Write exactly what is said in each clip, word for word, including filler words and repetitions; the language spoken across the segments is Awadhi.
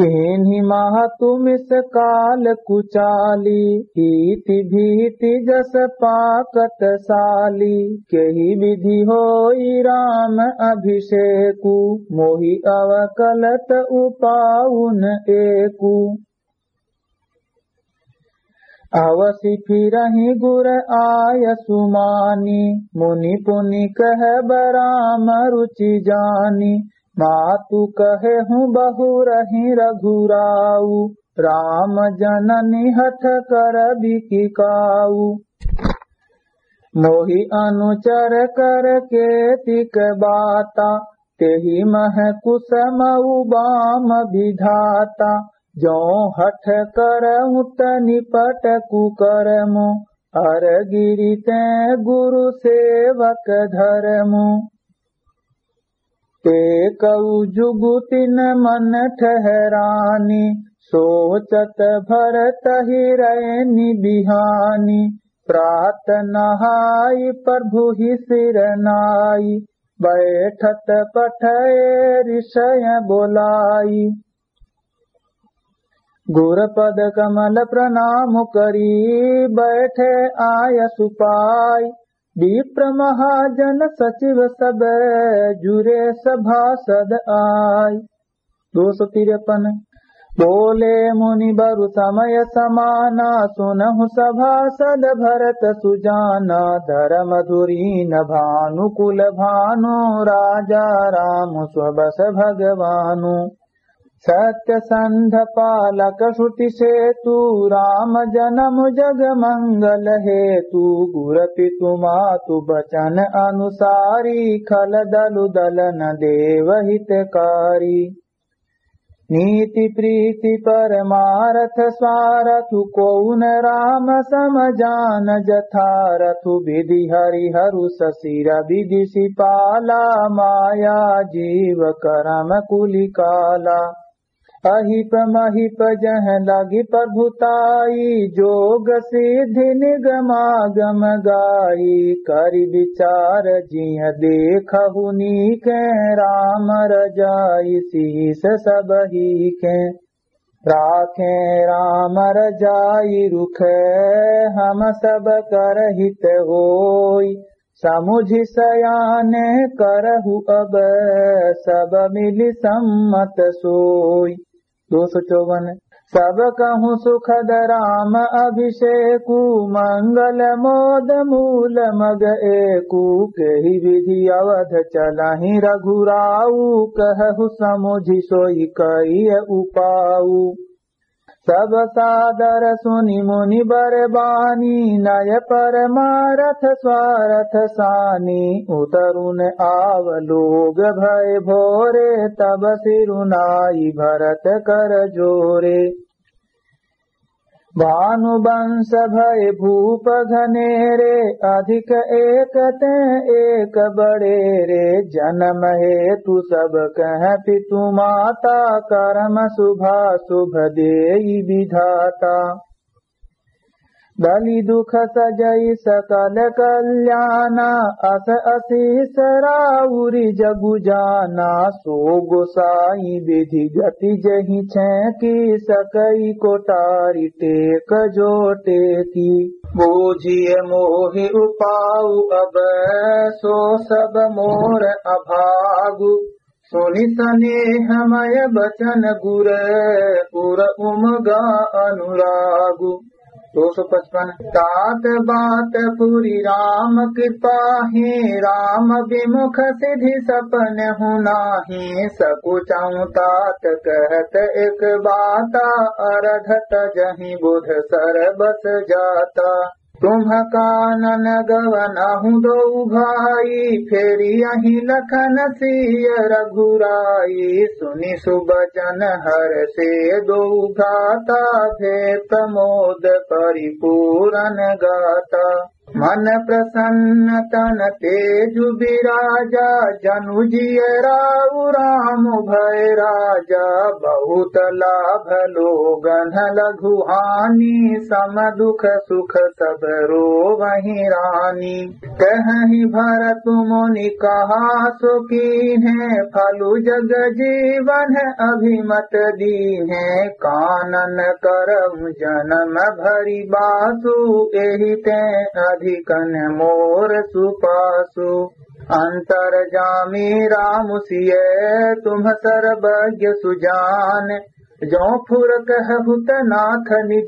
कीन्ही महतु मिस काल कुचाली, ईति भीति जस पाकत साली। केहि विधि होई राम अभिषेकु, मोहि अवकलत उपाउन एकु। अवसि फिरहिं गुर आयसु मानि, मुनि पुनि कहब राम रुचि जानि। मातु कहेहु बहुरहिं रघुराउ, राम जननी हठ करबि कि काउ। मोहि अनुचर कर केतिक बाता, तेहि मह कुसमउ बाम विधाता। जौं हठ करउँ त निपट कुकरमु, अर गिरि तें गुरु सेवक धरमु। एकउ जुगु तिन मन ठहरानी, सोचत भरत हिरैनि बिहानी। प्रात नहाइ प्रभु ही सिर नाई, बैठत पठए रिसय बोलाई। गुर पद कमल प्रणाम करी, बैठे आयसु पाई। विप्र महाजन सचिव सब, जुरे सभासद आई। दो सौ तिरपन। बोले मुनि बरु समय समाना, सुनहु सभासद भरत सुजाना। धरम धुरीन भानु कुल भानु, राजा राम स्वबस भगवानु। सत्य संध पालक श्रुति सेतु, राम जनम जग मंगल हेतु। गुर पितु मातु बचन अनुसारी, खल दलु दलन देव हितकारी। नीति प्रीति परमारथ स्वारथु, कोउन राम सम जान जथारथु। विधि हरिहरु ससिर विधि सिपाला, माया जीव करम कुलिकाला। अहिप महिप जह लगी प्रभुताई, जोग सिद्धि निगमागम गाई। करि विचार जिय देखहु नीके, राम रजाई सीस सबही के। राखे राम रजाई रुखे, हम सब कर हित होई। समुझि सयाने करहु अब, सब मिलि सम्मत सोई। दो सौ चौवन। सब कहूँ सुखद राम अभिषेकु, मंगल मोद मूल मग एकु। केहि विधि अवध चलहिं रघुराऊ, कहहु समुझि सोई कइय उपाऊ। सब सादर सुनि मुनि बर बानी, नय परमारथ स्वारथ सानी। उतरुन आव लोग भय भोरे, तब सिरुनाई भरत कर जोरे। भानु वंश भय भूप घनेरे, अधिक एक तें एक बड़ेरे। जनम हेतु सब कह पितु माता, करम शुभाशुभ देई विधाता। बलि दुख सजई सकल कल्याना, अस असीस राउरि जगु जाना। सो गोसाई विधि गति जहि छेंकी, सकई कोटारि टेक जो टेकी। बूझिय मोहि उपाउ अब, सो सब मोर अभागु। सुनि सनेह मय बचन गुर, उर उमगा अनुरागु। दो सौ पचपन। तात बात पुरि राम कृपाहि, राम विमुख सिधि सपनहु नाहि। सकुचउँ तात कहत एक बाता, अरधत जहि बुध सरबस जाता। तुम्ह कानन गवनहु दोउ भाई, फेरियहिं लखन सीय रघुराई। सुनि सुबचन हरषे दोउ भ्राता, भे प्रमोद परिपूरन गाता। मन प्रसन्न तन तेजु बिराजा, जनु जिय राउ राम भय राजा। बहुत लाभ लोगन लघु हानि, सम दुख सुख सब रोवहि रानी। कहहि भरत मुनि कहा सो कीन्हे, फलु जग जीवन अभिमत दीन्हे। कानन करहु जनम भरि बासु, एहि तें अधिकन मोर सुपासु। अंतरजामी राम सिय तुम सर्वज्ञ सुजान, जो फुर कहहु त नाथ निज,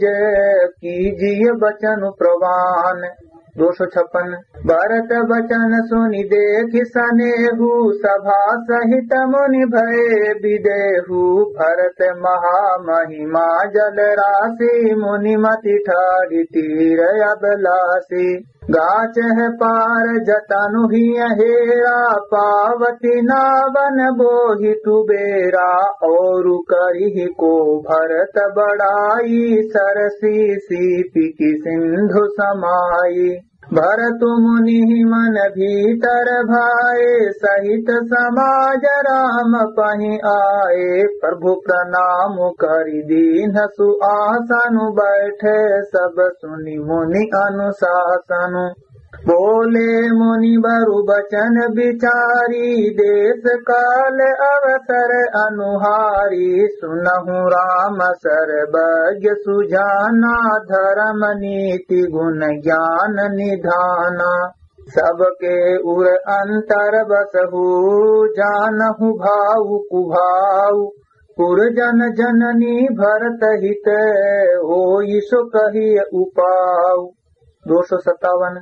कीजिय बचन प्रवान। दो सौ छप्पन। भरत बचन सुनि देखि सनेहु, सभा सहित मुनि भए बिदेहु। भरत महामहिमा जल राशि, मुनि मति ठाढ़ि तीर अभिलाषी। गाचह पार जतनु हिय हेरा, पावती नावन बोहि तुबेरा। औरु करिहि को भरत बड़ाई, सरसी सीपिकि सिंधु समाई। भरतु मुनि मन भीतर भाए, सहित समाज राम पहि आए। प्रभु प्रणाम करि दीन्हसु आसनु, बैठे सब सुनि मुनि अनुसासनु। बोले मुनि बरु बचन बिचारी, देस काल अवसर अनुहारी। सुनहु राम सर्वज्ञ सुजाना, धरम नीति गुन ज्ञान निधाना। सबके उर अंतर बसहु, जानहु भाउ कुभाउ। पुर जन जननी भरत हित, होई सो कहिय उपाउ। दो सौ सत्तावन।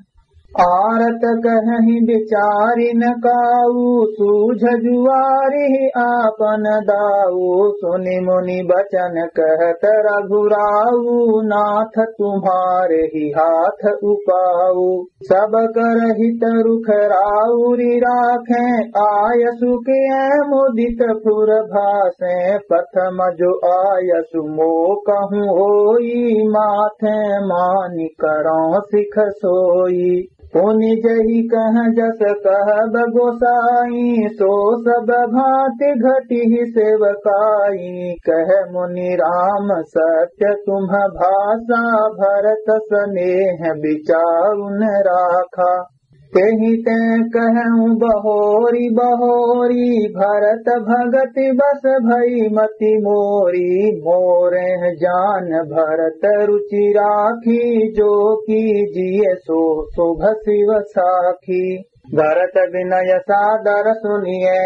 आरत कहहि बिचारिन काऊ, सूझ जुआरिहि आपन दाऊ। सुनि मुनि बचन कहत रघुराऊ, नाथ तुम्हारे ही हाथ उपाऊ। सब कर हित रुख राउरि राखें, आयसु किए मुदित फुर भासें। प्रथम जो आयसु मोकहु होई, माथें मानि करौं सिख सोई। पुनि जहि कह जस कहब गोसाई, सो सब भांति घटिहि सेवकाई। कह मुनि राम सत्य तुम भाषा, भरत सनेह बिचारु न राखा। तेहि तें कहउँ बहोरी बहोरी, भरत भगति बस भई मति मोरी। मोरेह जान भरत रुचि राखी, जो कीजिए सो शुभ शिव साखी। भरत विनय सादर सुनिए,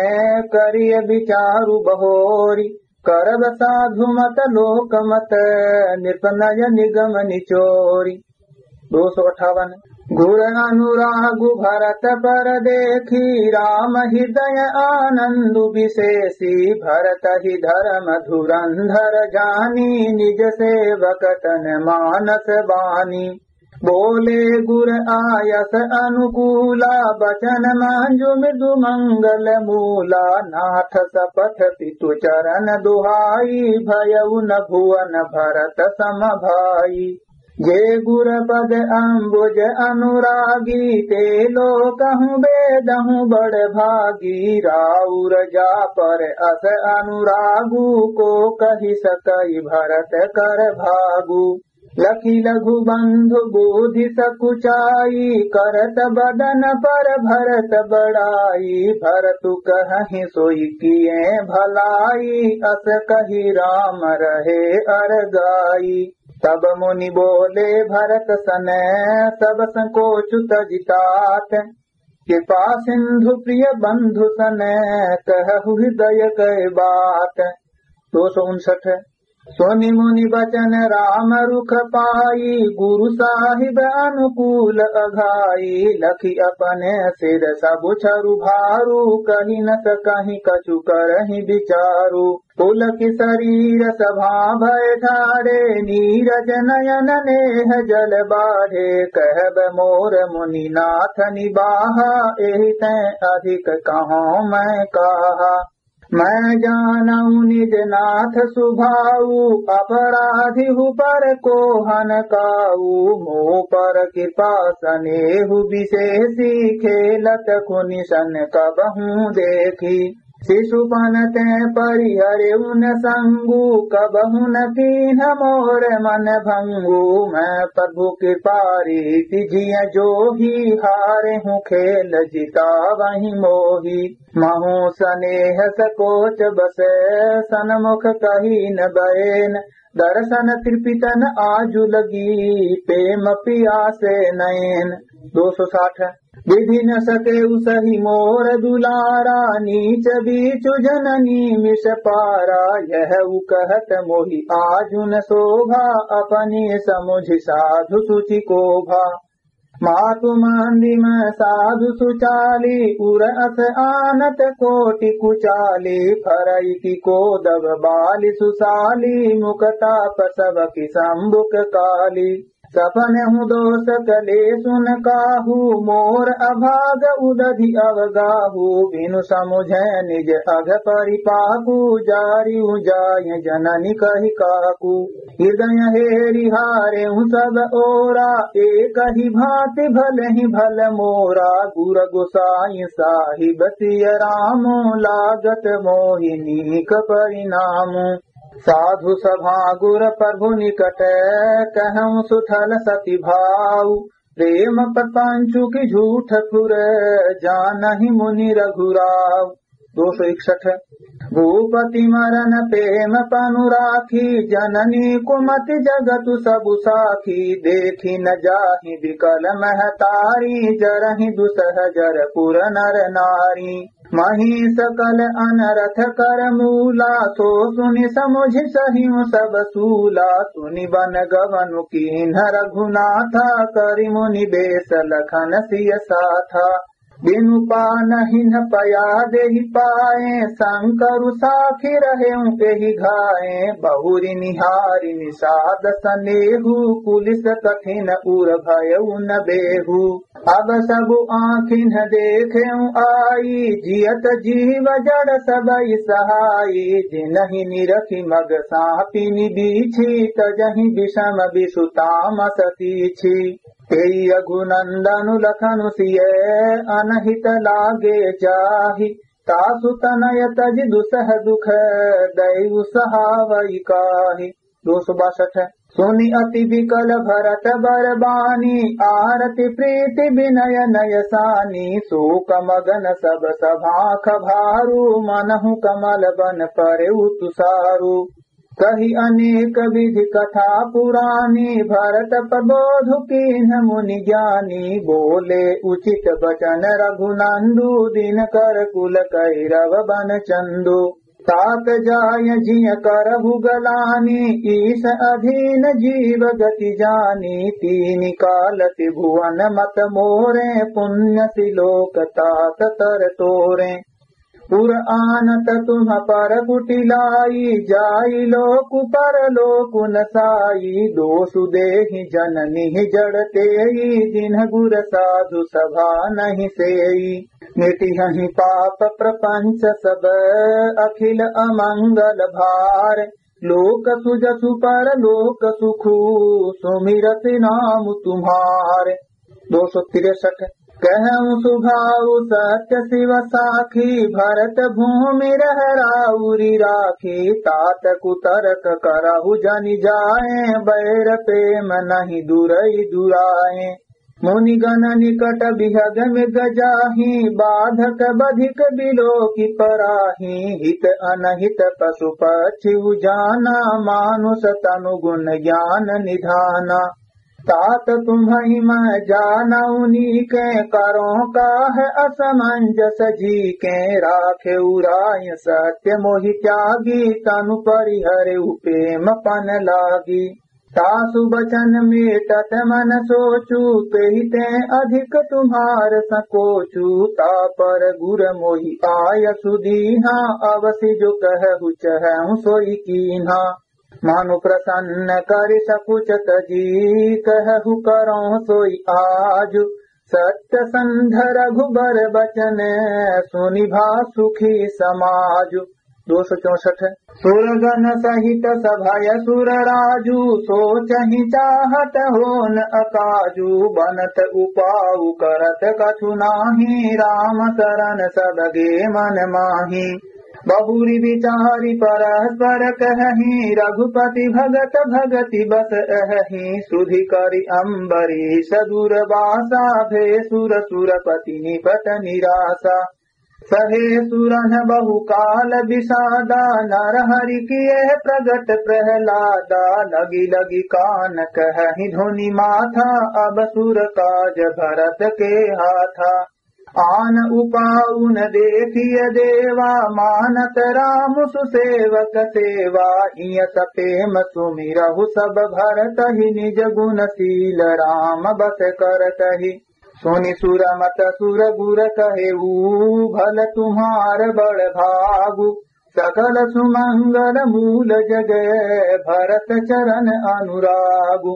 करिय बिचारु बहोरी। करब साधु मत लोक मत, नृप नय निगम निचोरी। दो सौ अट्ठावन। गुर अनुरागु भरत पर देखी, राम हृदय आनंदु विशेषी। भरत ही धर्म धुरंधर जानी, निज सेवक तन मानस बानी। बोले गुर आयस अनुकूला, बचन मांजु मृदु मंगल मूला। नाथ सपथ पितु चरण दुहाई, भयउ न भुवन भरत सम भाई। जे गुर पद अम्बुज अनुरागी, ते लोकहु बेदहु बड़ भागी। राउर जा पर अस अनुरागु, को कहि सकइ भरत कर भागु। लखि लघु बंधु बोधि सकुचाई, करत बदन पर भरत बड़ाई। भरतु कहहिं सोई किए भलाई, अस कहि राम रहे अरगाई। तब मुनि बोले भरत सने, सब संकोच तजि तात। कृपा सिंधु प्रिय बंधु सने, कहहु हृदय कै बात। दो सौ उनसठ। सुनि मुनि बचन राम रुख पाई, गुरु साहिब अनुकूल अघाई। लखि अपने सिर सबु छरु भारु, कहि न सकहिं कछु करहिं बिचारु। पुलकि सरीर सभा भय ठाढ़े, नीरज नयन नेह जल बाढ़े। कहब मोर मुनि नाथ निबाहा, एहि तें अधिक कहौं मैं काहा। मैं जानउ निज नाथ सुभाउ, अपराधी हूँ पर कोहन काऊ। मो पर कृपा सनेहु विशेषी, खेलत खुनि सन कबहूँ देखी। शिशुपन ते परिहरेउ न संगु, कबहु न कीन्ह मोर मन भंगु। मैं प्रभु कृपा रीति जिय जोही, हारेहु खेल जितावहि मोही। महु सनेह सकोच बस, सनमुख कही न बएन। दरसन तृपितन आजु लगी, प्रेम पियासे नएन। दो सौ साठ। विधि न सकेउ सही मोर दुलारा, नीच बीचु जननी मिस पारा। यहउ कहत मोहि आजु न शोभा, अपनी समुझि साधु सुचि कोभा। मातु मांदिम साधु सुचाली, उर अस आनत कोटि कुचाली। फरइ की कोदब बालि सुसाली, मुख ताप सबकी संबुक काली। सपनहु दोष कलेसु न काहू, मोर अभाग उदधि अवगाहू। बिनु समुझे निज अघ परिपाकू, जारिउ जाय जननी कहि काकू। हृदय हेरि हारेउ सब ओरा, एकहि भाँति भलहिं भल मोरा। गुर गोसाईं साहिब सिय रामो, लागत मोहि नीक परिणामो। साधु सभा गुर प्रभु निकट, कहउँ सुथल सति भाव। प्रेम प्रपंचु की झूठ फुर, जानहि मुनि रघुराव। दो सौ इकसठ। भूपति मरन प्रेम पनु राखी, जननी कुमति जगतु सबु साखी। देखि न जाहि बिकल महतारी, जरहि दुसह जर पुर नर नारी। मही सकल अनरथ कर मूला, सो सुनि समुझि सहिउ सब सूला। सुनि बन गवनु कीन्ह रघुनाथा, करि मुनि बेस लखन सिय साथा। बिनु पानहिन पया देहि पाए, संकरु साखी रहेउ एहि घाए। बहुरि निहारि निषाद सनेहु, पुलिस कठिन उर भयउ न बेहु। अब सबु आँखिन देखेउ आई, जियत जीव जड़ सबइ सहाई। जिनहि निरखि मग साँपिनि बीछी, तजहि विषम विषु तामस तीछी। तेइ रघुनंदनु लखनु सिय, अनहित लागे जाहि। तासु तनय तजि दुसह दुख, दइउ सहावइ काहि। दो सौ बासठ। सुनि अति बिकल भरत बर बानी, आरति प्रीति बिनय नय सानी। सोक मगन सब सभाँख भारू, मनहु कमल बन परेउ तुसारू। कहि अनेक विधि कथा पुरानी, भरत प्रबोधु कीन्ह मुनि ज्ञानी। बोले उचित बचन रघुनंदु, दिनकर कुल कैरव बन चंदु। तात जाय जिय करहु गलानी, ईस अधीन जीव गति जानी। तीनि काल त्रिभुवन मत मोरे, पुण्य सिलोक तात तर तोरे। उर आनत तुम पर कुटिलाई, जाई लोकु परलोकु न साई। दोसु देहि जननी जड़ तेई, दिन्ह गुर साधु सभा नहीं सेई। मिटिहहि पाप प्रपंच सब, अखिल अमंगल भार। लोकसु जसु परलोक सुखु, सुमिरत नाम तुम्हार। दो सौ तिरसठ। कहउँ सुभाव सत्य शिव साखी, भरत भूमि रह राउरि राखी। तात कुतर्क करहु जनि जाए, बैर प्रेम नहीं दुरइ दुराए। मुनिगण निकट बिहग मृग जाहि, बाधक बधिक बिलोकि पराहि। हित अनहित पशु पक्षि उजाना, मानुष तनु गुण ज्ञान निधाना। तात तुम्हइ मह जानउ नीके, करों काह असमंजस जीके। राखेउ राय सत्य मोहि त्यागी, तनु परिहरेउ प्रेम पन लागी। तासु बचन मेटत मन सोचु, तेहि तें अधिक तुम्हार संकोचु। तापर गुर मोहि आयसु दीन्हा, अवसि जो कहहु चहउँ सोइ कीन्हा। मनु प्रसन्न करि सकुच तजी, कहहु करौं सोइ आजु। सत्य संध रघुबर बचन, सुनि भा सुखी समाजु। दो सौ चौसठ। सुरगन सहित सभय सुर राजू, सोचहि चाहत होन अकाजू, बनत उपाउ करत कछु नाही, राम सरन सब गे मन माही। बहुरि बिचारि परस्पर कहहि, रघुपति भगत भगति बस अहहि, सुधि करि अम्बरीष दुरबासा, भे सुर सुरपति निपट निरासा। सहे सुरन बहुकाल बिसादा, नरहरि किए प्रगट प्रहलादा, लगी लगी कान कहहि धुनि माथा, अब सुर काज भरत के हाथा। आन उपाउ न देखिय देवा, मानत राम सुसेवक सेवा, इयस पेम सुमिरहु सब भरतहि, निज गुन सील राम बस करतहि। सुनि सुर मत सुर गुर कहेऊ, भल तुम्हार बड़ भागु, सकल सुमंगल मूल जगै, भरत चरण अनुरागु।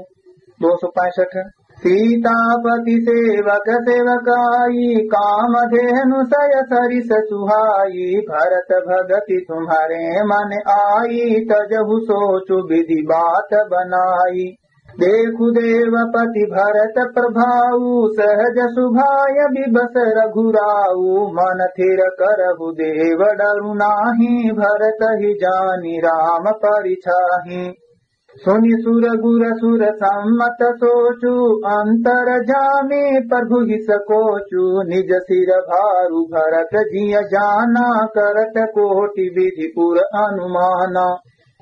दो सौ पैंसठ। सीतापति सेवक सेवकाई, कामधेनु सय सरिस सुहाई, भरत भगति तुम्हरे मन आई, तजहु सोचु विधि बात बनाई। देखु देवपति भरत प्रभाऊ, सहज सुभाय बिबस रघुराऊ, मन थिर करहु देव डरु नाही, भरतहि जानि राम परिछाही। सुनि सुर गुर सुर सम्मत सोचु, अंतरजामी प्रभु हिस कोचु, निज सिर भारु भरत जिय जाना, करत कोटि विधि पुर अनुमाना।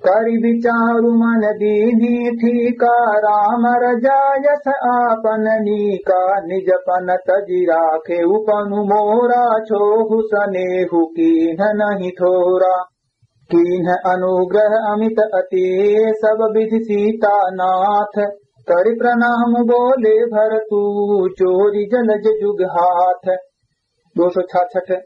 करि बिचारु मन दीन्ही ठीका, राम रजायस आपन नीका, निज पन तजि राखेउ पनु मोरा, छोहु सनेहु कीन्ह नहीं थोरा। कीन्ह अनुग्रह अमित अति सब विधि सीतानाथ, करि प्रणाम बोले भरतु, जोरि जलज जुग हाथ। दो सौ छाछठ।